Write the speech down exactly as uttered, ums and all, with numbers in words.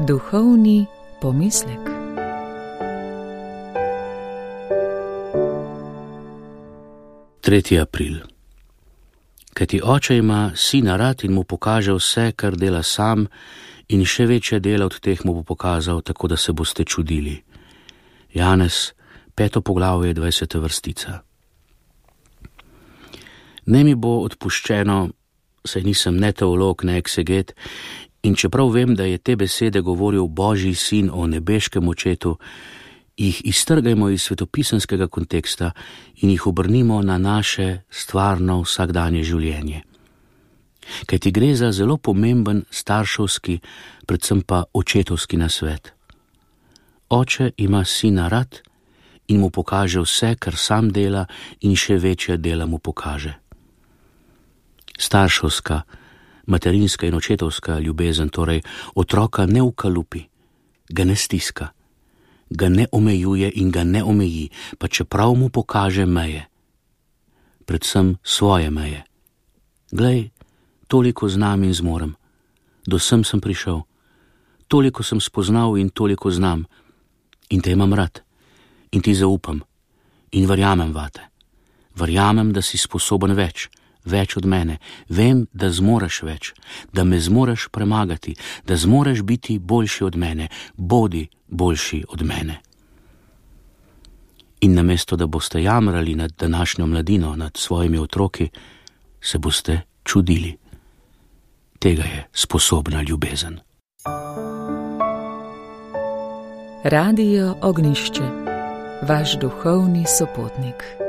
Duhovni pomislek. tretji april. Kajti oče ima sina rad in mu pokaže vse, kar dela sam, in še večje dela od teh mu bo pokazal, tako da se boste čudili. Janez, peto poglavje, dvajseta vrstica. Ne mi bo odpuščeno, saj nisem ne teolog, ne ekseget, in čeprav vem, da je te besede govoril Božji sin o nebeškem očetu, jih iztrgajmo iz svetopisanskega konteksta in jih obrnimo na naše stvarno vsakdanje življenje. Kajti gre za zelo pomemben starševski, predvsem pa očetovski nasvet. Oče ima sina rad in mu pokaže vse, kar sam dela, in še večje dela mu pokaže. Starševska, materinska in očetovska ljubezen torej otroka ne ukalupi, ga ne stiska, ga ne omejuje in ga ne omeji, pa čeprav mu pokaže meje. Predvsem svoje meje. Glej, toliko znam in zmorem, do sem sem prišel, toliko sem spoznal in toliko znam, in te imam rad, in ti zaupam, in verjamem vate. Verjamem, da si sposoben več, več od mene. Vem, da zmoreš več, da me zmoreš premagati, da zmoreš biti boljši od mene. Bodi boljši od mene. In namesto, da boste jamrali nad današnjo mladino, nad svojimi otroki, se boste čudili. Tega je sposobna ljubezen. Radio Ognjišče, vaš duhovni sopotnik.